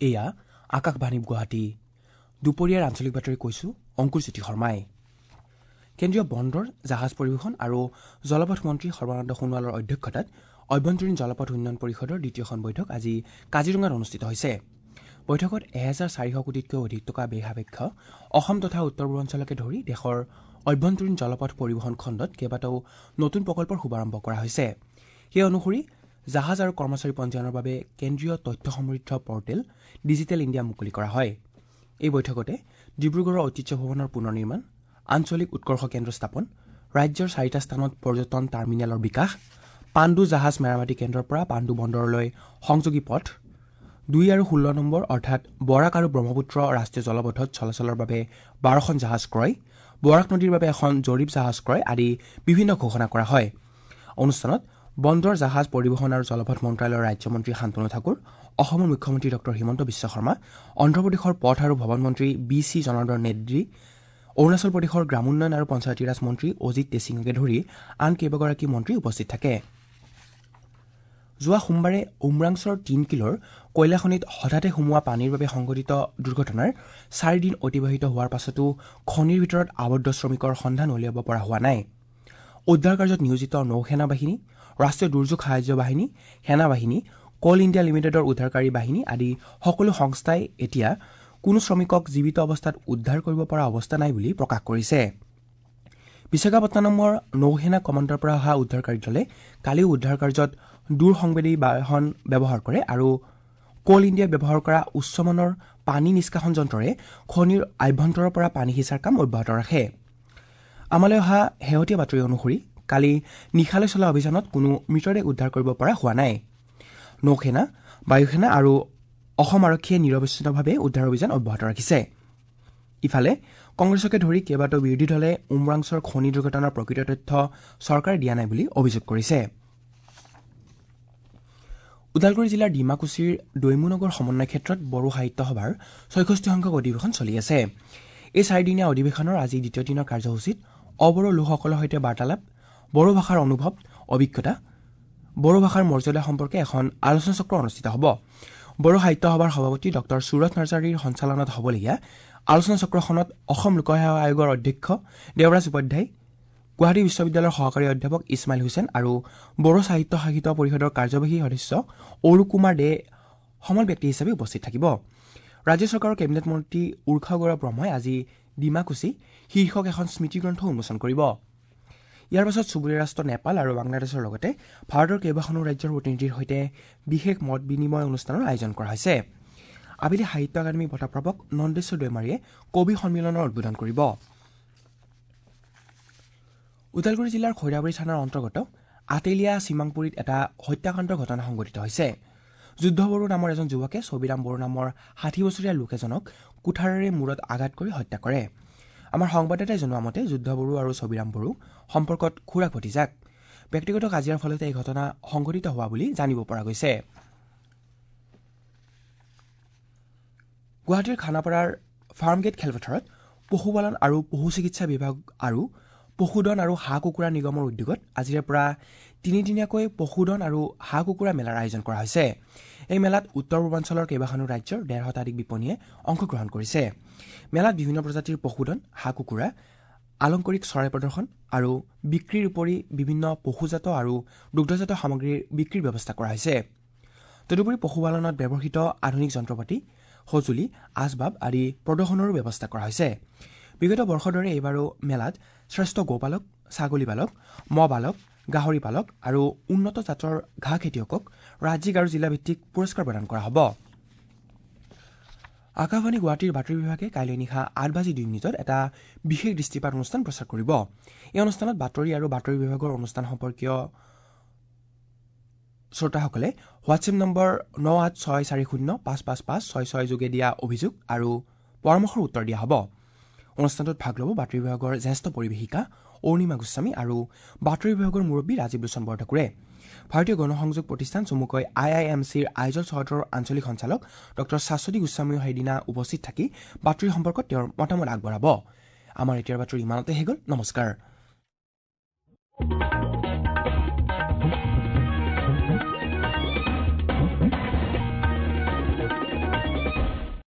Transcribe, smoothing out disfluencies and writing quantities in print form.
এয়া আকাশবাণী গুৱাহাটী। দুপৰীয়াৰ আঞ্চলিক বাতৰি কৈছো অংকুৰ জ্যোতি শৰ্মাই। কেন্দ্ৰীয় বন্দৰ, জাহাজ পৰিবহণ আৰু জলপথ মন্ত্ৰী সৰ্বানন্দ সোণোৱালৰ অধ্যক্ষতাত অভ্যন্তৰীণ জলপথ উন্নয়ন পৰিষদৰ দ্বিতীয়খন বৈঠক আজি কাজিৰঙাত অনুষ্ঠিত হৈছে। বৈঠকত ১৪০০ কোটিতকৈ অধিক টকা ব্যয় সাপেক্ষ অসম তথা উত্তৰ পূৰ্বাঞ্চলকে ধৰি দেশৰ অভ্যন্তৰীণ জলপথ পৰিবহণ খণ্ডত কেইবাটাও নতুন প্ৰকল্পৰ শুভাৰম্ভ কৰা হৈছে। সেই অনুসৰি জাহাজ আৰু কৰ্মচাৰী পঞ্জীয়নৰ বাবে কেন্দ্ৰীয় তথ্য সমৃদ্ধ পৰ্টেল ডিজিটেল ইণ্ডিয়া মুকলি কৰা হয়। এই বৈঠকতে ডিব্ৰুগড়ৰ ঐতিহ্য ভৱনৰ পুনৰ নিৰ্মাণ, আঞ্চলিক উৎকৰ্ষ কেন্দ্ৰ স্থাপন, ৰাজ্যৰ ৪টা স্থানত পৰ্যটন টাৰ্মিনেলৰ বিকাশ, পাণ্ডু জাহাজ মেৰামতি কেন্দ্ৰৰ পৰা পাণ্ডু বন্দৰলৈ সংযোগী পথ, ২ আৰু ১৬ নম্বৰ অৰ্থাৎ বৰাক আৰু ব্ৰহ্মপুত্ৰ ৰাষ্ট্ৰীয় জলপথত চলাচলৰ বাবে ১২খন জাহাজ ক্ৰয়, বৰাক নদীৰ বাবে এখন জৰীপ জাহাজ ক্ৰয় আদি বিভিন্ন ঘোষণা কৰা হয়। অনুষ্ঠানত বন্দৰ, জাহাজ পৰিবহণ আৰু জলপথ মন্ত্ৰালয়ৰ ৰাজ্যমন্ত্ৰী শান্তনু ঠাকুৰ, অসমৰ মুখ্যমন্ত্ৰী ডঃ হিমন্ত বিশ্ব শৰ্মা, অন্ধ্ৰপ্ৰদেশৰ পথ আৰু ভৱন মন্ত্ৰী বি চি জনাৰ্দন ৰেড্ডী, অৰুণাচল প্ৰদেশৰ গ্ৰামোন্নয়ন আৰু পঞ্চায়তীৰাজ মন্ত্ৰী অজিত টেছিঙকে ধৰি আন কেইবাগৰাকী মন্ত্ৰী উপস্থিত থাকে। যোৱা সোমবাৰে উমৰাংছৰ ৩ কিলোৰ কয়লাখনিত হঠাতে সোমোৱা পানীৰ বাবে সংঘটিত দুৰ্ঘটনাৰ ৪ দিন অতিবাহিত হোৱাৰ পাছতো খনিৰ ভিতৰত আবদ্ধ শ্ৰমিকৰ সন্ধান উলিয়াব পৰা হোৱা নাই। উদ্ধাৰ কাৰ্যত নিয়োজিত নৌসেনা বাহিনী, ৰাষ্ট্ৰীয় দুৰ্যোগ সাহায্য বাহিনী, সেনা বাহিনী, কল ইণ্ডিয়া লিমিটেডৰ উদ্ধাৰকাৰী বাহিনী আদি সকলো সংস্থাই এতিয়া কোনো শ্ৰমিকক জীৱিত অৱস্থাত উদ্ধাৰ কৰিব পৰা অৱস্থা নাই বুলি প্ৰকাশ কৰিছে। বিশাখাপট্টনমৰ নৌসেনা কমাণ্ডৰ পৰা অহা উদ্ধাৰকাৰী দলে কালিও উদ্ধাৰ কাৰ্যত দূৰ সংবেদী বাহন ব্যৱহাৰ কৰে আৰু কল ইণ্ডিয়াই ব্যৱহাৰ কৰা উচ্চমানৰ পানী নিষ্কাশন যন্ত্ৰৰে খনিৰ আভ্যন্তৰৰ পৰা পানী সিঁচাৰ কাম অব্যাহত ৰাখে। আমালৈ অহা শেহতীয়া বাতৰি অনুসৰি কালি নিশালৈ চলা অভিযানত কোনো মৃতদেহ উদ্ধাৰ কৰিব পৰা হোৱা নাই। নৌসেনা, বায়ুসেনা আৰু অসম আৰক্ষীয়ে নিৰৱচ্ছিন্নভাৱে উদ্ধাৰ অভিযান অব্যাহত ৰাখিছে। ইফালে কংগ্ৰেছকে ধৰি কেইবাটাও বিৰোধী দলে উমৰাংছৰ খনি দুৰ্ঘটনাৰ প্ৰকৃত তথ্য চৰকাৰে দিয়া নাই বুলি অভিযোগ কৰিছে। ওদালগুৰি জিলাৰ ডিমাকুছিৰ দৈমুনগৰ সমন্বয় ক্ষেত্ৰত বড়ো সাহিত্য সভাৰ ৬৬ সংখ্যক অধিৱেশন চলি আছে। এই চাৰিদিনীয়া অধিৱেশনৰ আজি দ্বিতীয় দিনৰ কাৰ্যসূচীত অবড়ো লোকসকলৰ সৈতে বাৰ্তালাপ, বড়ো ভাষাৰ অনুভৱ, অভিজ্ঞতা, বড়ো ভাষাৰ মৰ্যাদা সম্পৰ্কে এখন আলোচনাচক্ৰ অনুষ্ঠিত হ'ব। বড়ো সাহিত্য সভাৰ সভাপতি ডঃ সুৰথ নাৰ্জাৰীৰ সঞ্চালনাত হ'বলগীয়া আলোচনাচক্ৰখনত অসম লোকসেৱা আয়োগৰ অধ্যক্ষ দেৱৰাজ উপাধ্যায়, গুৱাহাটী বিশ্ববিদ্যালয়ৰ সহকাৰী অধ্যাপক ইছমাইল হুছেইন আৰু বড়ো সাহিত্য শাসিত পৰিষদৰ কাৰ্যবাহী সদস্য অৰূপ কুমাৰ দে সমল ব্যক্তি হিচাপে উপস্থিত থাকিব। ৰাজ্য চৰকাৰৰ কেবিনেট মন্ত্ৰী উৰ্খাও গৌৰা ব্ৰহ্মই আজি ডিমাকুছি শীৰ্ষক এখন স্মৃতিগ্ৰন্থ উন্মোচন কৰিব। ইয়াৰ পাছত চুবুৰীয়া ৰাষ্ট্ৰ নেপাল আৰু বাংলাদেশৰ লগতে ভাৰতৰ কেইবাখনো ৰাজ্যৰ প্ৰতিনিধিৰ সৈতে বিশেষ মত বিনিময় অনুষ্ঠানৰ আয়োজন কৰা হৈছে। আবেলি সাহিত্য একাডেমী বঁটাপ্ৰাপক নন্দেশ্বৰ দৈমাৰীয়ে কবি সন্মিলনৰ উদ্বোধন কৰিব। ওদালগুৰি জিলাৰ খৈৰাবাৰী থানাৰ অন্তৰ্গত আতেলিয়া চিমাংপুৰীত এটা হত্যাকাণ্ডৰ ঘটনা সংঘটিত হৈছে। যুদ্ধ বড়ো নামৰ এজন যুৱকে ছবিৰাম বড়ো নামৰ ৬০ বছৰীয়া লোক এজনক কুঠাৰেৰে মূৰত আঘাত কৰি হত্যা কৰে। আমাৰ সংবাদদাতাই জনোৱা মতে যুদ্ধ বড়ো আৰু ছবিৰাম বড়ো সম্পৰ্কত খুৰাক ভতিজাক। ব্যক্তিগত কাজিয়াৰ ফলতে এই ঘটনা সংঘটিত হোৱা বুলি জানিব পৰা গৈছে। গুৱাহাটীৰ খানাপাৰাৰ ফাৰ্মগেট খেলপথাৰত পশুপালন আৰু পশু চিকিৎসা বিভাগ আৰু পশুধন আৰু হাঁহ কুকুৰা নিগমৰ উদ্যোগত আজিৰে পৰা তিনিদিনীয়াকৈ পশুধন আৰু হাঁহ কুকুৰা মেলাৰ আয়োজন কৰা হৈছে। এই মেলাত উত্তৰ পূৰ্বাঞ্চলৰ কেইবাখনো ৰাজ্যৰ ১৫০ শতাধিক বিপণীয়ে অংশগ্ৰহণ কৰিছে। মেলাত বিভিন্ন প্ৰজাতিৰ পশুধন, হাঁহ কুকুৰা, আলংকাৰিক চৰাই প্ৰদৰ্শন আৰু বিক্ৰীৰ উপৰি বিভিন্ন পশুজাত আৰু দুগ্ধজাত সামগ্ৰীৰ বিক্ৰীৰ ব্যৱস্থা কৰা হৈছে। তদুপৰি পশুপালনত ব্যৱহৃত আধুনিক যন্ত্ৰপাতি, সঁজুলি, আচবাব আদি প্ৰদৰ্শনৰো ব্যৱস্থা কৰা হৈছে। বিগত বৰ্ষৰ দৰে এইবাৰো মেলাত শ্ৰেষ্ঠ গোপালক, ছাগলী পালক, মহ পালক, গাহৰি পালক আৰু উন্নত জাতৰ ঘাঁহ খেতিয়কক ৰাজ্যিক আৰু জিলাভিত্তিক পুৰস্কাৰ প্ৰদান কৰা হ'ব। আকাশবাণী গুৱাহাটীৰ বাতৰি বিভাগে কাইলৈ নিশা ৮:০২ এটা বিশেষ দৃষ্টিপাত অনুষ্ঠান প্ৰচাৰ কৰিব। এই অনুষ্ঠানত বাতৰি আৰু বাতৰি বিভাগৰ অনুষ্ঠান সম্পৰ্কীয় শ্ৰোতাসকলে হোৱাটছএপ নম্বৰ ৯৮৬৪০৫৫৫৬৬ যোগে দিয়া অভিযোগ আৰু পৰামৰ্শৰ উত্তৰ দিয়া হ'ব। অনুষ্ঠানটোত ভাগ ল'ব বাতৰি বিভাগৰ জ্যেষ্ঠ পৰিৱেশিকা অৰুণিমা গোস্বামী আৰু বাতৰি বিভাগৰ মুৰব্বী ৰাজীৱ লোচন বৰঠাকুৰে। ভাৰতীয় গণসংযোগ প্ৰতিষ্ঠান চমুকৈ IIMCৰ আইজল চহৰৰ আঞ্চলিক সঞ্চালক ডঃ শাশ্বতী গোস্বামীও সেইদিনা উপস্থিত থাকি বাতৰি সম্পৰ্কত তেওঁৰ মতামত আগবঢ়াব। আমাৰ এতিয়াৰ বাতৰি ইমানতে শেষ হ'ল। নমস্কাৰ।